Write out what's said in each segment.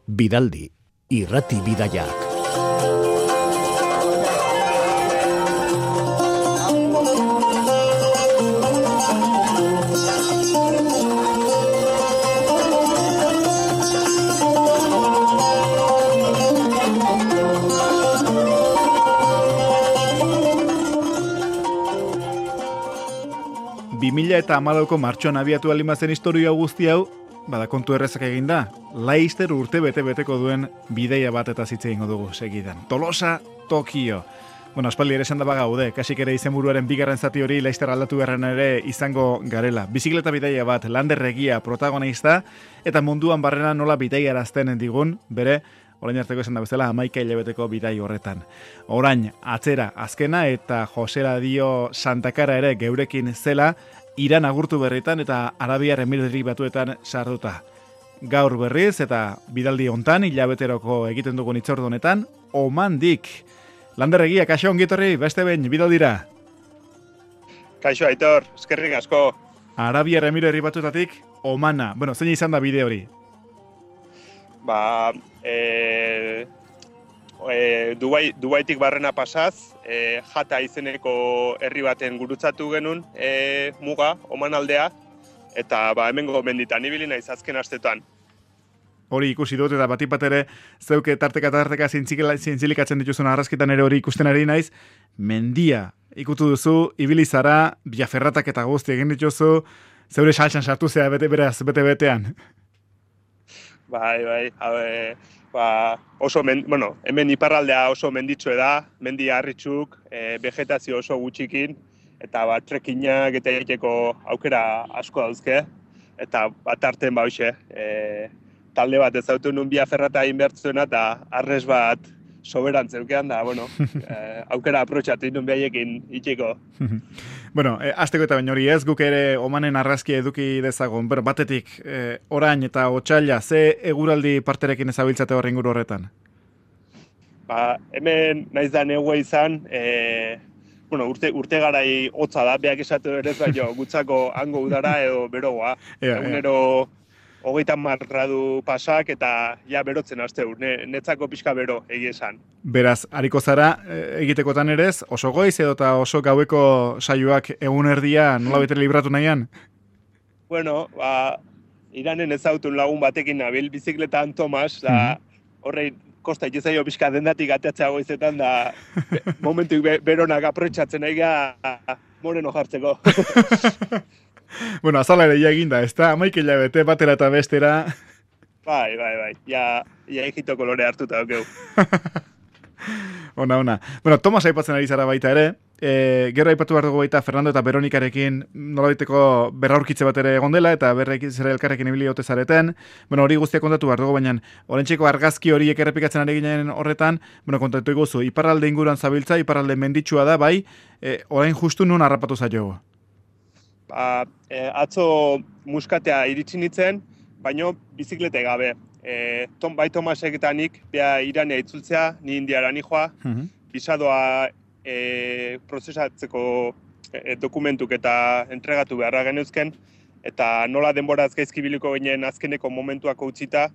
Bidaldi, irrati bidaiak. Eta amalauko martxoan abiatu alimazen historia guzti hau, bada kontu errezak eginda, Laster urte bete-beteko duen bideia bat eta zitze egingo dugu segidan. Tolosa, Tokio. Bueno, aspaldi ere esan da bagaude, kasik ere izenburuaren bigarren zati hori Laster aldatu beharren ere izango garela. Bizikleta bideia bat, Lander egia protagonista, eta munduan barrena nola bideia arazten digun, bere, orain arteko esan da bezala, 11 hilabeteko bidai horretan. Orain, atzera azkena eta Josera dio Santakara ere geurekin zela, Iran agurtu berritan eta Arabiar Emirateri Batuetan sartuta. Gaur berriz eta bidaldi hontan hilabeteroko egiten dugun hitzordu honetan, Omandik. Lander egia, kaixo ongitorri, beste behin, bidaldira. Kaixo Aitor, eskerrik asko. Arabiar Emirateri Batuetatik, Omana. Bueno, zein izan da bide hori? Dubaitik barrena pasaz, Jata izeneko herri baten gurutzatu genuen muga, Oman aldea, eta hemengo menditan ibili naiz azken astetan. Hori ikusi dut eta batipat ere zeuke tarteka zintzilikatzen dituzun arrazketan ere hori ikusten ari naiz, mendia ikutu duzu, ibili zara, biaferratak eta guzti egin dituzu, zeure saltsan sartu zea bete-betean. Bai, oso hemen iparraldea oso menditsue da, mendi harritxuk, vegetazio oso gutxikin, eta trekkinak eta egiteko aukera asko dauzke, eta artean talde bat ezautu nun biaferrata egin behartzuena, eta arrez bat soberan zeukean da, aukera aprotxatu nun behaiekin itxiko. Bueno, azteko eta baino hori ez, guk ere Omanen arrazkia eduki dezagun, batetik, orain eta otsaila, ze eguraldi parterekin ezabiltzate horren inguru horretan? Hemen naiz da negua izan, urte garai hotza da, beak esatu ere ez baino, gutzako hango udara edo berogoa. Egunero 30 gradu pasak eta ja berotzen hasteu, netzako pixka bero egia esan. Beraz, hariko zara egitekotan ere ez, oso goiz edo eta oso gaueko saioak egun erdia nola betere libratu nahian? Bueno, Iranen ezautun lagun batekin nabil, bizikletan Tomas, horrein kosta itezaio pixka dendatik ateatzea goizetan, da momentuik beronak aprotxatzen aiga moreno jartzeko. Bueno, azala ere ja eginda, ez da? 11 hilabete batera eta bestera. Bai. Ja egito kolore hartuta daukeu. Ona. Bueno, Tomas aipatzen ari zara baita ere. Gero aipatu behar dugu baita Fernando eta Veronikarekin nolabaiteko berraurkitze bat ere egon dela eta zere elkarrekin ibili ote zareten. Bueno, hori guztiak kontatu behar dugu, baina oraintzeko argazki horiek errepikatzen ari ginen horretan, kontatu iguzu, iparralde inguruan zabiltza, iparralde menditsua da, bai, orain justu nun harrapatu zaio. Atzo muskatea iritsi nintzen, baino biziklete gabe. Bai Tomasek eta nik beha Iranea itzultzea, ni Indiara nijoa, bisadoa prozesatzeko dokumentuk eta entregatu beharra geneuzken, eta nola denbora azkaizki biliko ginen azkeneko momentuako utzita,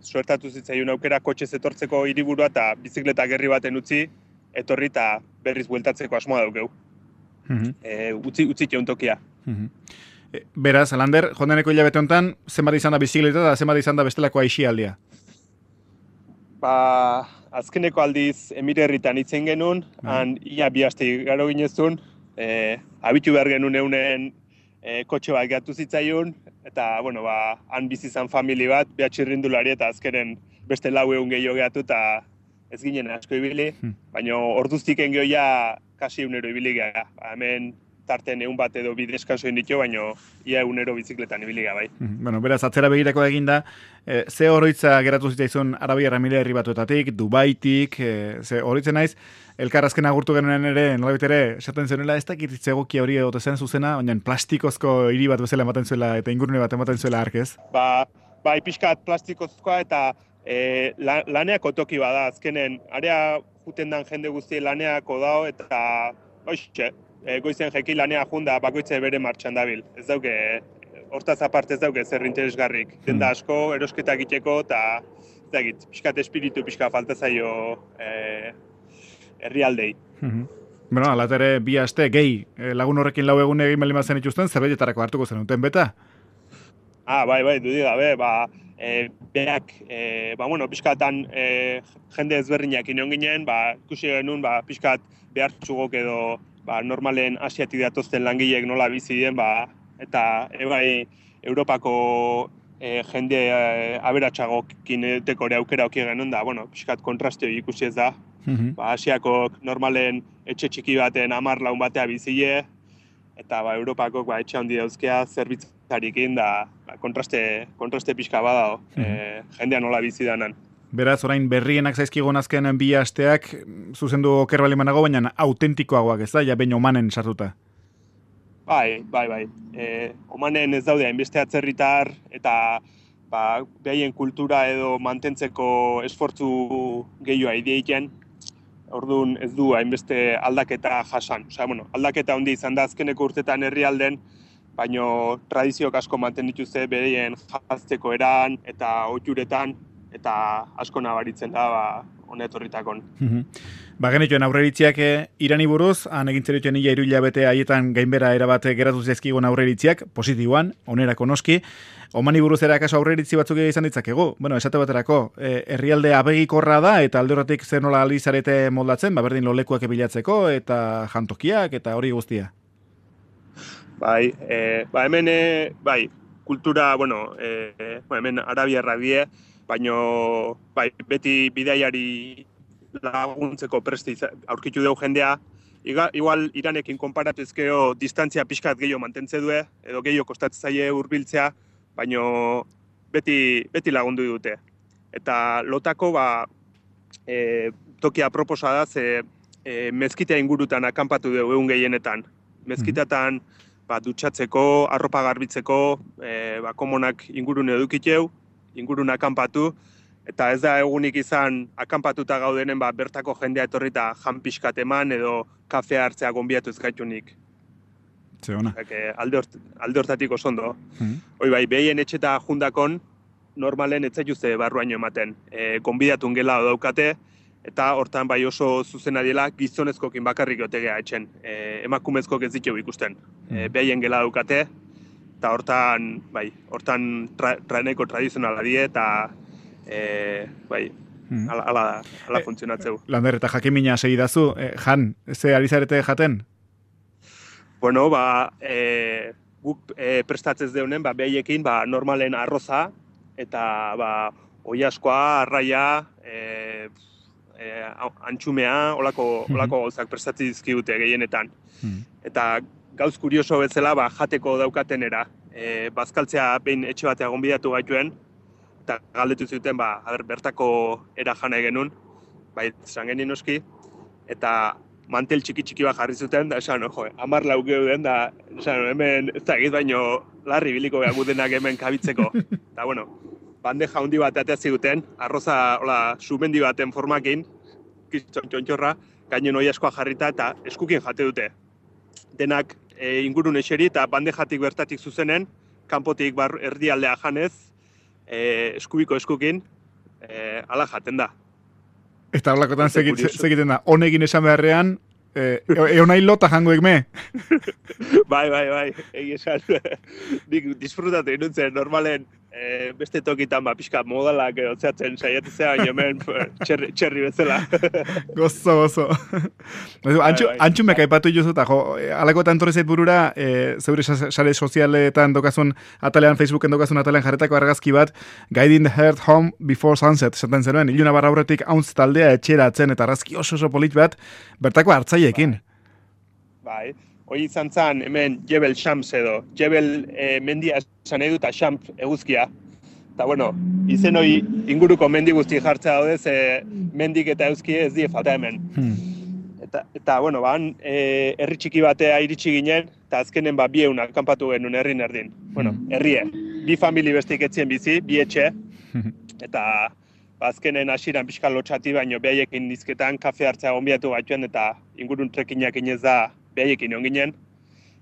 suertatu zitzaion aukera kotxez etortzeko hiriburua eta bizikleta gerri baten utzi, etorri eta berriz bueltatzeko asmoa daukeu. Utzi tokia. Beraz, Lander, jondeneko hilabete honetan, zenbat izan da bizikleta eta zenbat izan da bestelako aixialdia? Azkeneko aldiz Emirerritan itzen genuen, ia 2 aste garo ginezun, abitu behar genuen eunen kotxe bat gatu zitzaion, eta, han bizi izan famili bat, beha txirrindulari eta azkenen beste 4 egun gehiago gehatu eta ez ginen asko ibili, baina orduztik engioia kasi egunero ibili geha. Hemen tarten egun bat edo bideskanso inditu, baina ia egunero bizikletan ibili geha, bai. Bueno, beraz, atzera begirako eginda, ze oroitza geratu zitzaizun Arabiar Emirateri Batuetatik, Dubaitik, ze oroitzen naiz, elkarrazken agurtu genuen ere, nolabit ere, esaten zenela, ez dakit zegokia hori egote zen zuzena, baina plastikozko hiri bat bezala ematen zuela eta ingurune bat ematen zuela arkez. Bai, pixkat plastikozkoa eta laneako toki bada, azkenen, area juten dan jende guzti laneako dao, eta goizen jeki lanea junda bakoitze bere martxan dabil. Ez dauke hortaz aparte ez dauke zer interesgarrik. Denda asko, erosketak egiteko, eta pixkat espiritu pixka falta zaio herrialdei. Bueno, alatere bi aste gehi lagun horrekin lau egun egin baldin bazen ituzten, zerbaitetarako hartuko zenuten beta? Bai, dudik gabe, beak, pixkatan jende ezberdinak inon ginen, ikusi genuen, pixkat behartzugok edo normalen asiatik datozten langileek nola bizi den, eta Europako jende aberatsagokin edeteko ere aukera oki genuen da, pixkat kontraste hori ikusi ez da. Asiakok normalen etxe txiki baten 10 lagun batea bizile, eta Europakok etxe handi dauzkea zerbitzarikin da kontraste pixka badao, jendea nola bizi danan. Beraz, orain berrienak zaizkigun azken bi asteak, zuzendu oker bali manago, baina autentikoagoak ez da, ja behin omanen sartuta. Bai. Omanen ez daude hainbeste atzerritar, eta behaien kultura edo mantentzeko esfortzu gehiago ideiten, orduan ez du hainbeste aldaketa jasan. Aldaketa handi izan da azkeneko urtetan herrialden, baino tradiziok asko manten dituzte bereien jazteko eran eta ohituretan, eta asko nabaritzen da honetorritakon. Genituen aurreritziak Irani buruz, han egintzerituen ia 3 hilabete haietan gainbera erabat geratu zaizkigun aurreritziak, positiboan, onerako noski. Omani buruz ere akaso aurreritzi batzuk izan ditzakegu. Esate baterako, herrialde abegikorra da, eta alde horretik zer nola alizarete moldatzen, berdin lolekuak bilatzeko, eta jantokiak, eta hori guztia. Hemen, kultura, hemen arabiarrak die, baino beti bidaiari laguntzeko preste aurkitu dugu jendea. Igual Iranekin konparatuzkeo distantzia pixkat gehiago mantentze du, edo gehiago kostatzen zaie hurbiltzea, baino beti lagundu dute. Eta lotako tokia proposa da, ze mezkitea ingurutan akanpatu dugu egun gehienetan. Mezkitatan dutxatzeko, arropa garbitzeko, komonak ingurune edukiteu, ingurun akanpatu, eta ez da egunik izan akanpatuta gaudenen bertako jendea etorrita jan pixkat eman edo kafea hartzea gonbiatu ez gaitunik. Zeona. Alde hortatik oso ondo. Behien etxeta jundakon, normalen ez zaituzte barruaino ematen. Gonbidatun gela daukate, eta hortan oso zuzena dela gizonezkokin bakarrik otegea etxen. Emakumezkok ez ditugu ikusten. Behien gela daukate, eta hortan traeneko tradizionala die, eta ala funtzionatzeu. Lander, eta jakimina segidazu, Jan, ze ari zarete jaten? Guk prestatzez deunen, behaiekin normalen arroza, eta oiaskoa, arraia, antxumea, olako gauzak prestatzen dizkigute gehienetan. Eta gauz kurioso bezala jateko daukatenera. Bazkaltzea behin etxe batea gonbidatu gaituen, eta galdetu zuten, bertako era jana genuen, esan genien noski, eta mantel txiki bat jarri zuten, da esan, 10 lau geuden, da esan, hemen ez da egit baino larri biliko gudenak hemen kabitzeko. Eta bandeja handi bat atea ziguten, arroza sumendi baten formakin, txontxorra, gainen oiaskoa jarrita eta eskukin jate dute. Denak ingurun eseri eta bandejatik bertatik zuzenen, kanpotik erdialdea janez, eskubiko eskukin, ala jaten da. Eta holakotan segiten da, honegin esan beharrean, eonai lota jango ekme? Bai, egi esan. Nik disfrutatu inuntzen, normalen beste tokitan pixka modalak otzeatzen saiatzea, baina hemen txerri bezala. Gozo. Antxumek aipatu juzu, eta alakotan torri zait burura, zeure sare sozialetan dokazun atalean, Facebooken dokazun atalean jarretako argazki bat, Guiding the Heart Home Before Sunset, esaten zenuen, iluna barra aurretik hauntz taldea etxeratzen, eta argazki oso polit bat, bertako hartzaileekin. Bai. Hoi izan zen, hemen Jebel Shams edo, Jebel mendia esan edu eta Shams eguzkia. Eta izen hoi inguruko mendi guzti jartzea daude, ze mendik eta eguzki ez die falta hemen. Eta herri txiki batea iritsi ginen, eta azkenen 200 akanpatu genuen herrin erdin. Herrie, 2 famili bestik etzien bizi, 2 etxe, eta azkenen hasiran pixka lotxati, baino behaiekin nizketan kafe hartzea gonbiatu gaituen, eta ingurun trekinak inez da behaiekin onginen,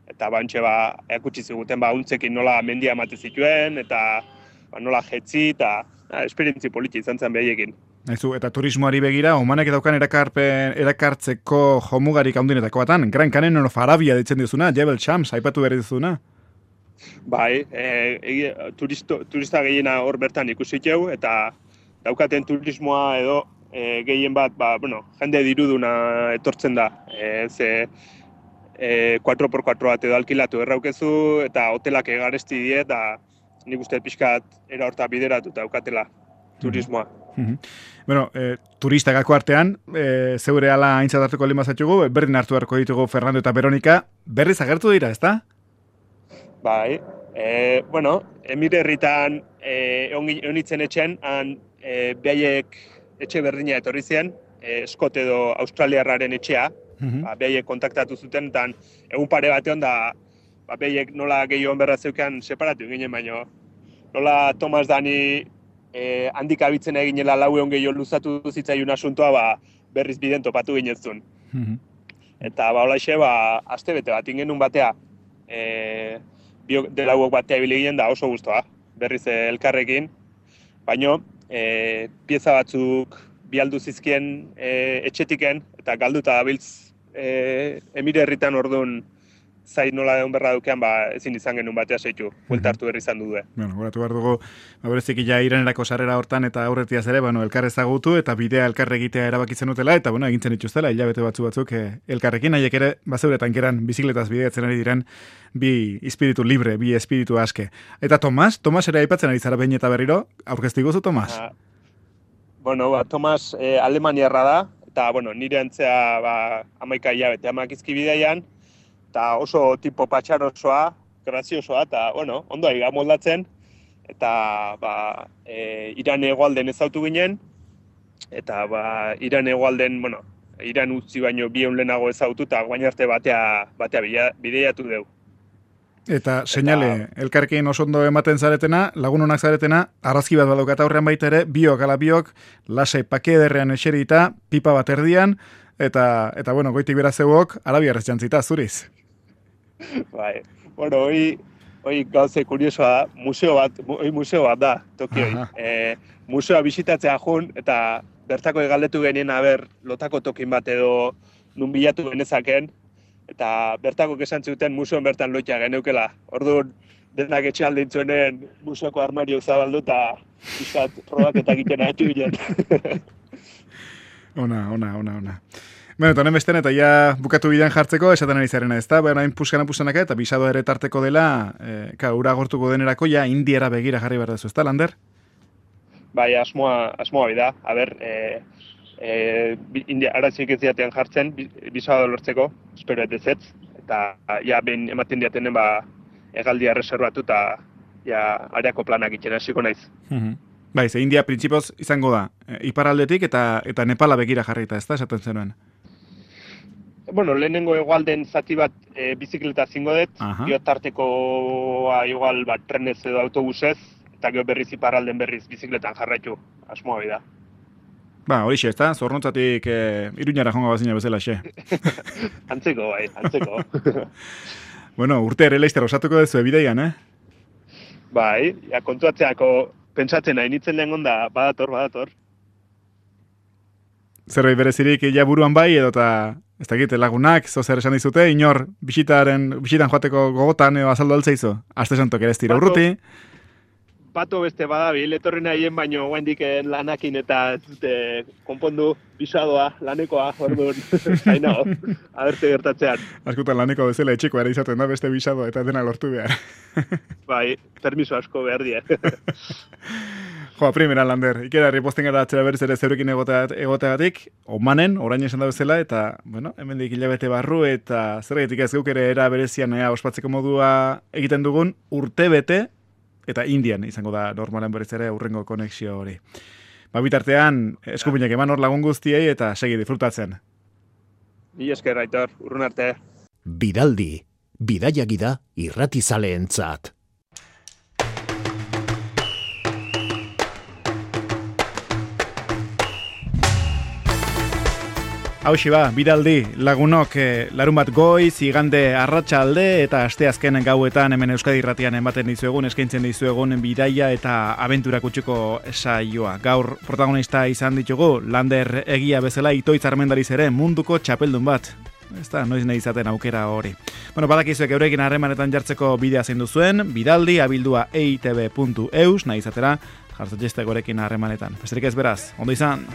eta bantxe erakutsi ziguten untzekin nola mendia emate zituen, eta nola jetzi, eta esperientzi politi izan zen behaiekin. Eta turismoari begira, Omanek daukan erakartzeko jomugarik handinetako batan, Gran Canyon of Arabia ditzen dizuna, Jebel Shams, aipatu behar dizuna. Bai, turista gehiena hor bertan ikusi jau, eta daukaten turismoa edo gehien bat, jende diruduna etortzen da. 4x4 bat edo alkilatu erraukezu, eta hotelak egaresti die, eta nik uste pixkat era horta bideratu daukatela turismoa. Bueno, turistagako artean, zeure ala aintzat hartuko limazatxugu, berdin hartu harko ditugu Fernando eta Veronika, berriz agertu dira, ezta? Bai, Emire herritan eonitzen etxen, han behaiek etxe berdina etorri zen, Scott edo Australiarraren etxea, behaiek kontaktatu zuten, eta egun pare batean behaiek nola gehiago berra zeukean separatu ginen, baino nola Thomas Dani handik abitzen eginela laueon gehiago luzatu zitzaiun asuntoa, berriz biden topatu ginezun. Eta holaxe, aste bete bat ingenun batea, delauok batea ibili ginen da oso guztua, berriz elkarrekin, baino pieza batzuk bialdu zizkien etxetiken, eta galduta dabiltz Emire herritan orduan zait nola egon berra dukean, ezin izan genuen batea seitu, buelta hartu berri izan dudue. Bueno, goratu behar dugu, berezik ja Iranerako sarrera hortan eta aurretiaz ere, elkar ezagutu eta bidea elkarre egitea erabakitzen utela, eta egintzen dituztela, hilabete batzuk elkarrekin, haiek ere, bazeure tankeran bizikletaz bideatzen ari diren, bi espiritu libre, bi espiritu aske. Eta Tomas ere aipatzen ari zara behin eta berriro, aurkeztiguzu Tomas? Tomas alemaniarra da, eta nire antzea 11 hilabete amakizki bideian, eta oso tipo patxarosoa, graziosoa, eta ondo aiga moldatzen, eta Iran hegoalden ezautu ginen, eta Iran hegoalden, Iran utzi baino 2 lehenago ezautu, eta guain arte batea bideiatu dugu. Eta seinale, elkarrekin oso ondo ematen zaretena, lagunonak zaretena, arrazki bat badaukat aurrean baita ere, biok, lasai pake ederrean eserita, pipa bat erdian, eta goitik bera zeuok, arabiarrez jantzita, zuriz. Bai, hoi gauze kuriosoa, museo bat da, Tokioi. Museoa bisitatzea jun, eta bertako egaldetu genien lotako tokin bat edo nun bilatu genezaken, eta bertako esan zuten museoan bertan loitea geneukela. Orduan, denak etxe aldintzuenen museoko armario zabaldu eta bizkat probak egiten ahatu ginen. Ona. Eta honen besten, eta ja bukatu bidean jartzeko, esaten ari zarena ez da, hain puskanaka eta bisado ere tarteko dela, ura gortuko denerako, ja indiera begira jarri behar dezu, ez da, Lander? Bai, asmoa bida, aratzik ez diatean jartzen, bisado lortzeko, espero edezetz, eta behin ematen diatenen egaldia reservatu eta areako planak itxen hasiko naiz. Bai, ze India printzipioz izango da, iparaldetik eta Nepala begira jarrita, ez da, esaten zenuen? Lehenengo egualden zati bat bizikleta zingo dut, tartekoa igual trenez edo autobusez, eta gero berriz iparralden berriz bizikletan jarraitu, asmoa bida. Horixe, ez da, Zornotzatik Iruñara jonga bazina bezala, xe. Antzeko. Urte ere Leister osatuko dezu ebideian, Bai, kontuatzeako pentsatzen nahi nitzen lehen onda, badator. Zerbait berezirik buruan bai, edo eta ez dakit, lagunak, zer esan dizute, inor bisitan joateko gogotan edo azaldu altzaizu. Aste santok ere ez dira urruti. Pato beste badabil, etorri nahien baino guendik lanakin eta konpondu bisadoa, lanekoa, orduan, hainago, abertze gertatzean. Askutan laneko bezala etxeko ere izaten da beste bisadoa eta dena lortu behar. Bai, permiso asko behar die. Primera, Lander, ikerarri posten gara atzera berriz ere zeurekin egoteagatik, Omanen, orain esan da bezala, eta, hemendik hilabete barru, eta zergatik ez geuk ere era berezian ospatzeko modua egiten dugun, urte bete, eta Indian izango da normalen berriz ere urrengo konexio hori. Bitartean, eskupinak eman hor lagun guztiei, eta segi disfrutatzen. Ni esker, Aitor, urrun arte. Bidaldi, bidaiagida irratizaleentzat. Hauxe ba, bidaldi, lagunok larun bat goiz, igande arratsalde eta asteazken gauetan hemen Euskadi Irratian ematen dizuegun, eskaintzen dizuegun bidaia eta abentura kutsuko saioa. Gaur protagonista izan ditugu, Lander egia bezala Itoitz Armendariz ere munduko txapeldun bat. Ez da, noiz nahi izaten aukera hori. Bueno, badakizuek eurekin harremanetan jartzeko bidea zein duzuen, bidaldi abildua eitb.eus, nahi izatera, jartzen jeste gorekin harremanetan. Besterik ez beraz, ondo izan!